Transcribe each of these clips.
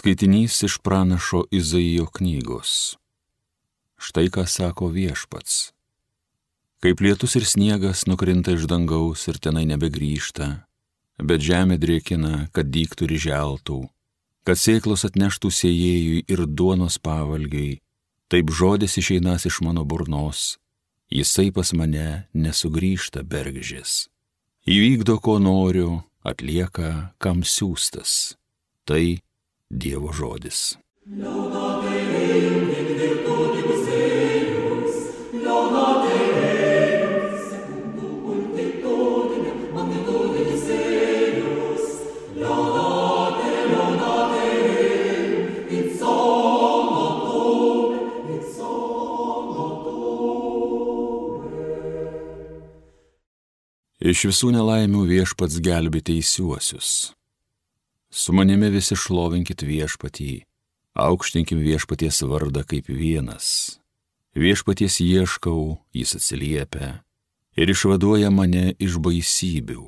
Skaitinys iš pranašo Izaijo knygos. Štai ką sako Viešpats. Kaip lietus ir sniegas nukrinta iš dangaus ir tenai nebegrįžta, bet žemė drėkina, kad dygtų ir želtų, kad sėklos atneštų sėjėjui ir duonos pavalgiui, taip žodis išeinas iš mano burnos, jisai pas mane nesugrįžta bergždžias. Įvykdo, ko noriu, atlieka, kam siųstas. Tai Dievo žodis. Iš visų nelaimių Viešpats gelbė teisiuosius. Su manimi visi šlovinkit Viešpatį, aukštinkim Viešpaties vardą kaip vienas. Viešpaties ieškau, jis atsiliepia ir išvaduoja mane iš baisybių.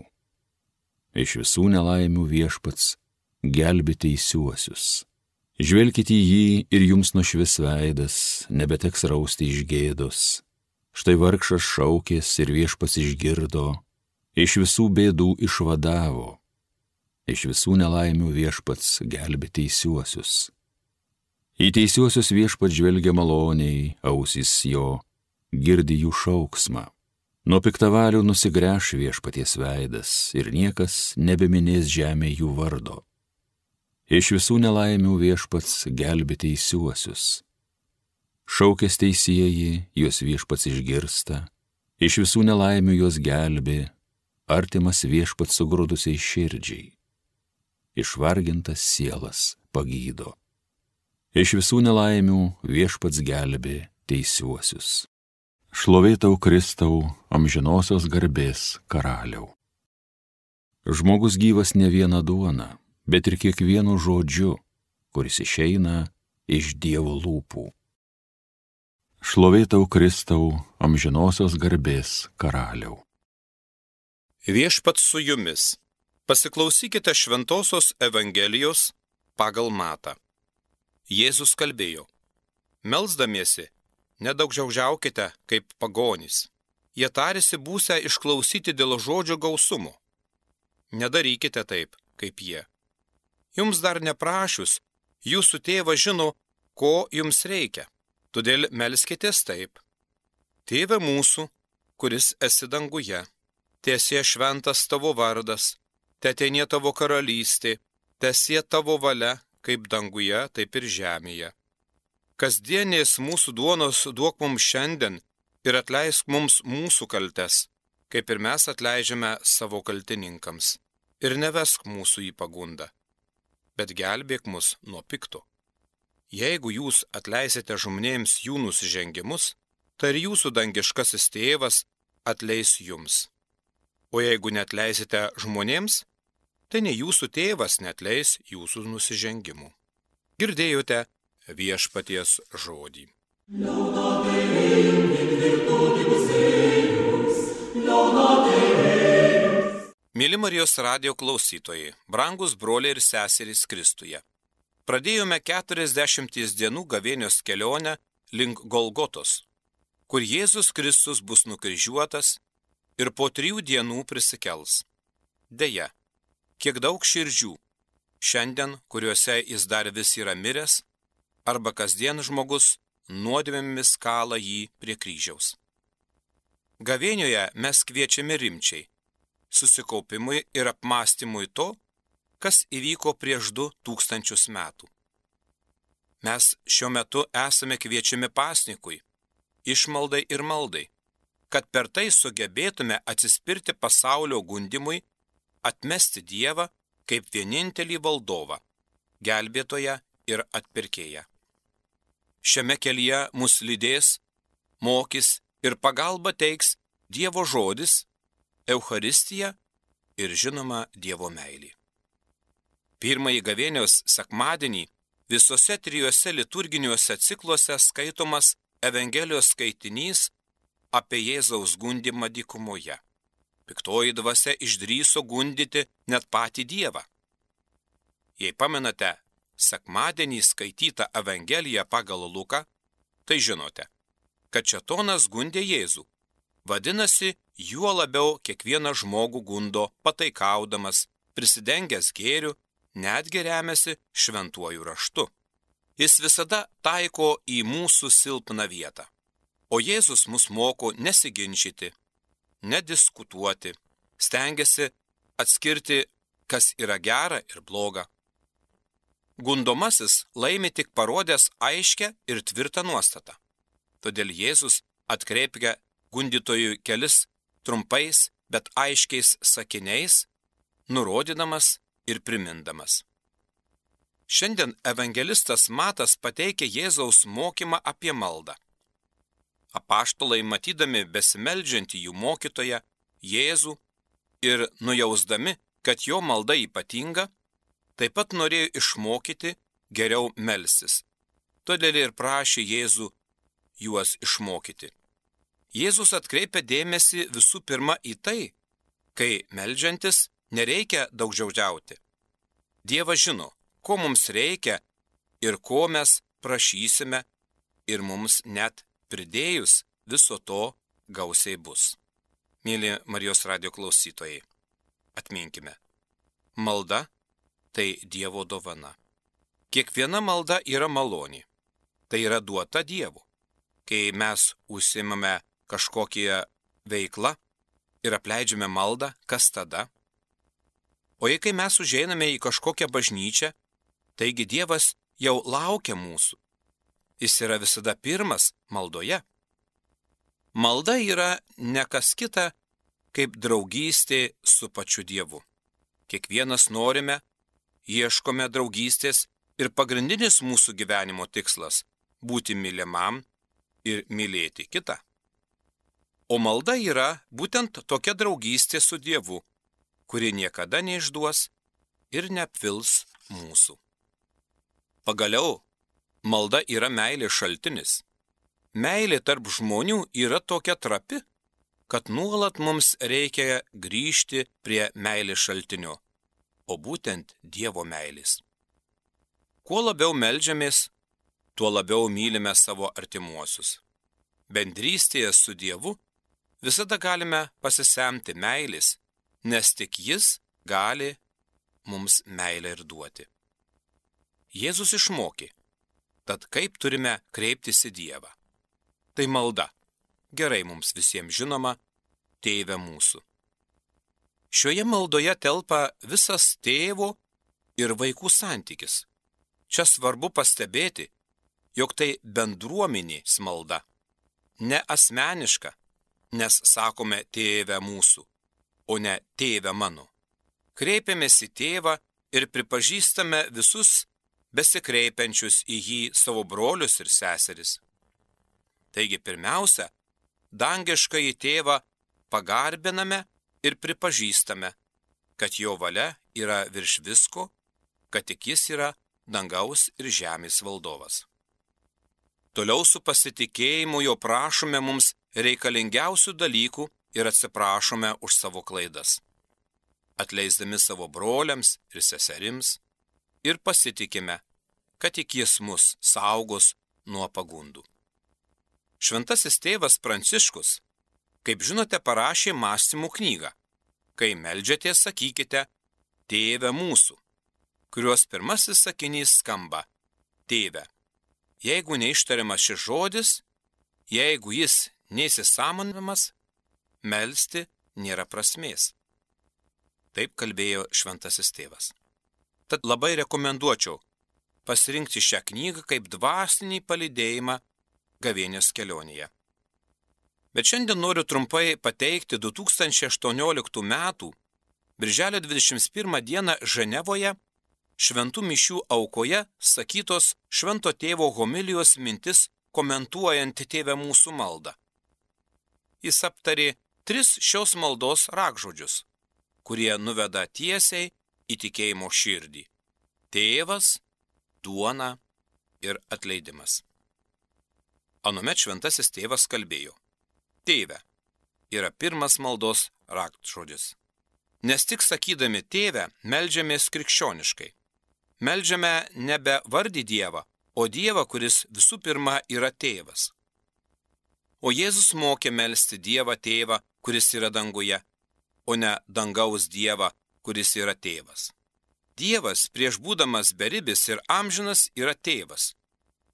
Iš visų nelaimių Viešpats gelbė teisiuosius. Žvelkite į jį ir jums nušvis veidas, nebeteks rausti iš gėdos. Štai vargšas šaukės ir Viešpats išgirdo, iš visų bėdų išvadavo. Iš visų nelaimių Viešpats gelbė teisiuosius. Į teisiuosius Viešpats žvelgia maloniai, ausys jo girdi jų šauksmą. Nuo piktavalių nusigręš Viešpaties veidas ir niekas nebeminės žemė jų vardo. Iš visų nelaimių Viešpats gelbė teisiuosius. Šaukės teisieji, juos Viešpats išgirsta, iš visų nelaimių juos gelbė, artimas Viešpats sugrūdusiai širdžiai. Išvargintas sielas pagydo. Iš visų nelaimių Viešpats gelbė teisiuosius. Šlovė tau, Kristau, amžinosios garbės karaliau. Žmogus gyvas ne viena duona, bet ir kiekvienu žodžiu, kuris išeina iš Dievo lūpų. Šlovė tau, Kristau, amžinosios garbės karaliau. Viešpats su jumis. Pasiklausykite Šventosios Evangelijos pagal Matą. Jėzus kalbėjo: melsdamiesi, nedaugžaužiaukite kaip pagonys. Jie tarėsi būsią išklausyti dėl žodžio gausumo. Nedarykite taip, kaip jie. Jums dar neprašius, jūsų tėvas žino, ko jums reikia. Todėl melskitės taip: Tėve mūsų, kuris esi danguje, teesie šventas tavo vardas, teateinie tavo karalystė, teesie tavo valia, kaip danguje, taip ir žemėje. Kasdienės mūsų duonos duok mums šiandien ir atleisk mums mūsų kaltes, kaip ir mes atleidžiame savo kaltininkams. Ir nevesk mūsų į pagundą, bet gelbėk mus nuo pikto. Jeigu jūs atleisite žmonėms jų nusižengimus, tai ir jūsų dangiškasis tėvas atleis jums. O jeigu neatleisite žmonėms, tai ne jūsų tėvas neatleis jūsų nusižengimų. Girdėjote Viešpaties žodį. Mėly Marijos radijo klausytojai, brangus broliai ir seserys Kristuje. Pradėjome 40 dienų gavėnios kelionę link Golgotos, kur Jėzus Kristus bus nukryžiuotas ir po 3 dienų prisikels. Deja, kiek daug širdžių šiandien, kuriuose jis dar vis yra miręs, arba kasdien žmogus nuodėmėmis kala jį prie kryžiaus. Gavėnioje mes kviečiame rimčiai, susikaupimui ir apmąstymui to, kas įvyko prieš 2000 metų. Mes šiuo metu esame kviečiami pasnikui, išmaldai ir maldai, kad per tai sugebėtume atsispirti pasaulio gundimui, atmesti Dievą kaip vienintelį valdovą, gelbėtoją ir atpirkėją. Šiame kelyje mus lydės, mokys ir pagalba teiks Dievo žodis, Eucharistija ir žinoma Dievo meilė. Pirmąjį gavėnios sekmadienį visose 3 liturginiuose cikluose skaitomas Evangelijos skaitinys apie Jėzaus gundymą dykumoje. Piktoji dvasia išdrįso gundyti net patį Dievą. Jei pamenate, sekmadienį skaitytą Evangeliją pagal Luką, tai žinote, kad šėtonas gundė Jėzų. Vadinasi, juo labiau kiekvieną žmogų gundo pataikaudamas, prisidengęs gėriu, netgi remiasi šventuoju raštu. Jis visada taiko į mūsų silpną vietą. O Jėzus mus moko nesiginčyti, nediskutuoti, stengiasi atskirti, kas yra gera ir bloga. Gundomasis laimi tik parodęs aiškę ir tvirtą nuostatą. Todėl Jėzus atkreipia gundytojui kelis trumpais, bet aiškiais sakiniais, nurodydamas ir primindamas. Šiandien evangelistas Matas pateikia Jėzaus mokymą apie maldą. Apaštalai, matydami besimeldžiantį jų mokytoją, Jėzų, ir nujausdami, kad jo malda ypatinga, taip pat norėjo išmokyti geriau melstis. Todėl ir prašė Jėzų juos išmokyti. Jėzus atkreipia dėmesį visų pirma į tai, kai meldžiantis nereikia daugžodžiauti. Dievas žino, ko mums reikia ir ko mes prašysime, ir mums net pridėjus viso to gausiai bus. Mėly Marijos radijo klausytojai, atminkime, malda tai Dievo dovana. Kiekviena malda yra malonė, tai yra duota Dievu. Kai mes užsiimame kažkokią veiklą ir apleidžiame maldą, kas tada? O jei kai mes užeiname į kažkokią bažnyčią, taigi Dievas jau laukia mūsų. Jis yra visada pirmas maldoje. Malda yra ne kas kita, kaip draugystė su pačiu Dievu. Kiekvienas norime, ieškome draugystės ir pagrindinis mūsų gyvenimo tikslas – būti mylimam ir mylėti kitą. O malda yra būtent tokia draugystė su Dievu, kuri niekada neišduos ir neapvils mūsų. Pagaliau, malda yra meilės šaltinis. Meilė tarp žmonių yra tokia trapi, kad nuolat mums reikia grįžti prie meilės šaltinio, o būtent Dievo meilės. Kuo labiau meldžiamės, tuo labiau mylime savo artimuosius. Bendrystėje su Dievu visada galime pasisemti meilės, nes tik Jis gali mums meilę ir duoti. Jėzus išmokė, tad kaip turime kreiptis į Dievą. Tai malda, gerai mums visiems žinoma, Tėve mūsų. Šioje maldoje telpa visas tėvo ir vaikų santykis. Čia svarbu pastebėti, jog tai bendruomenės malda, ne asmeniška, nes sakome Tėve mūsų, o ne Tėve mano. Kreipiamės į Tėvą ir pripažįstame visus besikreipiančius į jį savo brolius ir seseris. Taigi pirmiausia, dangiškąjį Tėvą pagarbiname ir pripažįstame, kad jo valia yra virš visko, kad tik jis yra dangaus ir žemės valdovas. Toliau su pasitikėjimu jo prašome mums reikalingiausių dalykų ir atsiprašome už savo klaidas, atleisdami savo broliams ir seserims, ir pasitikime, kad tik jis mus saugos nuo pagundų. Šventasis tėvas Pranciškus, kaip žinote, parašė mąstymų knygą. Kai meldžiatės, sakykite Tėve mūsų, kurios pirmasis sakinys skamba Tėve. Jeigu neištariamas šis žodis, jeigu jis neįsisąmoninamas, melsti nėra prasmės. Taip kalbėjo šventasis tėvas. Tad labai rekomenduočiau pasirinkti šią knygą kaip dvasinį palydėjimą gavėnios kelionėje. Bet šiandien noriu trumpai pateikti 2018 metų birželio 21 dieną Ženevoje šventų mišių aukoje sakytos švento tėvo homilijos mintis komentuojant Tėve mūsų maldą. Jis aptarė 3 šios maldos rakžodžius, kurie nuveda tiesiai į tikėjimo širdį – tėvas, duona ir atleidimas. Anuomet šventasis tėvas kalbėjo: Tėve yra pirmas maldos raktžodis. Nes tik sakydami Tėve meldžiamės krikščioniškai. meldžiame nebe vardį Dievą, o Dievą, kuris visų pirma yra tėvas. O Jėzus mokė melsti Dievą tėvą, kuris yra danguje, o ne dangaus Dievą, kuris yra tėvas. Dievas, prieš būdamas beribis ir amžinas, yra tėvas.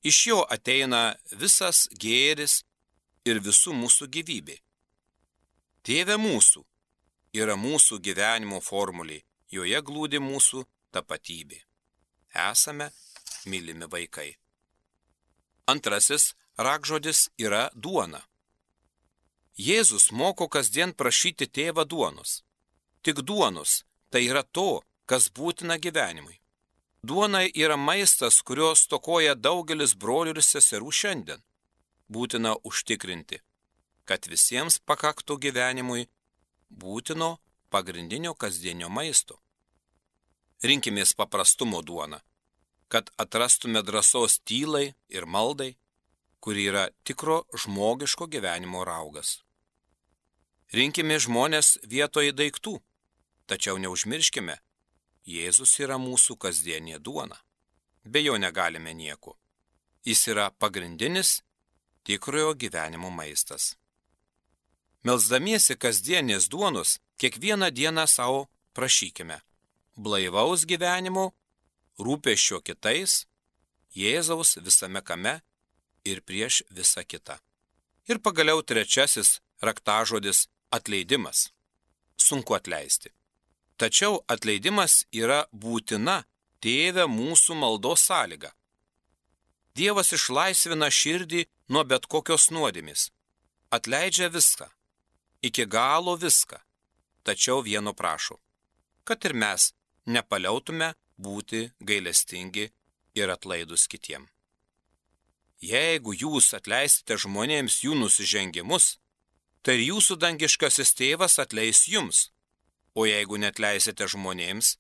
Iš jo ateina visas gėris ir visų mūsų gyvybė. Tėve mūsų yra mūsų gyvenimo formulė, joje glūdi mūsų tapatybė. Esame mylimi vaikai. Antrasis rakžodis yra duona. Jėzus moko kasdien prašyti tėvą duonos. Tik duonos, tai yra to, kas būtina gyvenimui. Duona yra maistas, kurio stokoja daugelis brolių ir seserų šiandien. Būtina užtikrinti, kad visiems pakaktų gyvenimui būtino pagrindinio kasdienio maisto. Rinkimės paprastumo duoną, kad atrastume drąsos tylai ir maldai, kuri yra tikro žmogiško gyvenimo raugas. Rinkime žmonės vietoje daiktų, tačiau neužmirškime, Jėzus yra mūsų kasdienė duona. Be jo negalime nieko. Jis yra pagrindinis tikrojo gyvenimo maistas. Melsdamiesi kasdienės duonos, kiekvieną dieną savo prašykime blaivaus gyvenimo, rūpesčio kitais, Jėzaus visame kame ir prieš visą kitą. Ir pagaliau trečiasis raktažodis – atleidimas. Sunku atleisti. Tačiau atleidimas yra būtina Tėve mūsų maldos sąlyga. Dievas išlaisvina širdį nuo bet kokios nuodėmės. Atleidžia viską, iki galo viską, tačiau vieno prašo, kad ir mes nepaliautume būti gailestingi ir atlaidus kitiem. Jeigu jūs atleisite žmonėms jų nusižengimus, tai jūsų dangiškasis tėvas atleis jums. O jeigu neatleisite žmonėms,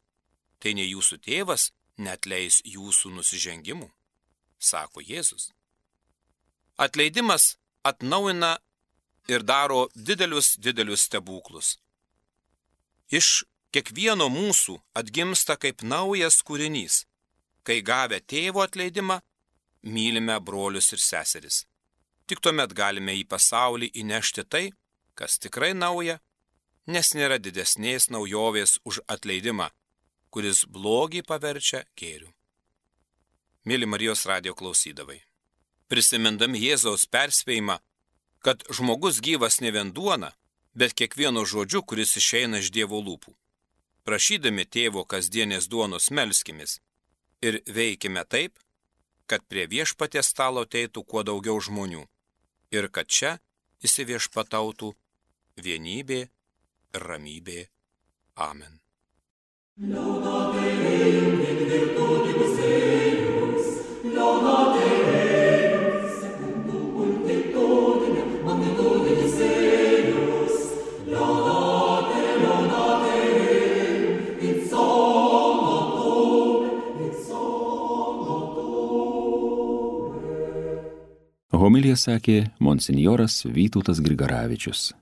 tai ne jūsų tėvas neatleis jūsų nusižengimų, sako Jėzus. Atleidimas atnaujina ir daro didelius stebuklus. Iš kiekvieno mūsų atgimsta kaip naujas kūrinys, kai gavę tėvo atleidimą, mylime brolius ir seseris. Tik tuomet galime į pasaulį įnešti tai, kas tikrai nauja, nes nėra didesnės naujovės už atleidimą, kuris blogį paverčia gėriu. Mėly Marijos radijo klausydavai, prisimindami Jėzaus perspėjimą, kad žmogus gyvas ne vien duona, bet kiekvieno žodžiu, kuris išeina iš Dievo lūpų. Prašydami tėvo kasdienės duonos melskimės ir veikime taip, kad prie viešpaties stalo ateitų kuo daugiau žmonių ir kad čia įsiviešpatautų vienybė ir ramybė. Amen. Laudate Deum in virtutibus eius, laudate Deum secundum multitudinem magnitudinis eius, laudate Deum in sonotube. Homiliją sakė monsinjoras Vytautas Grigaravičius.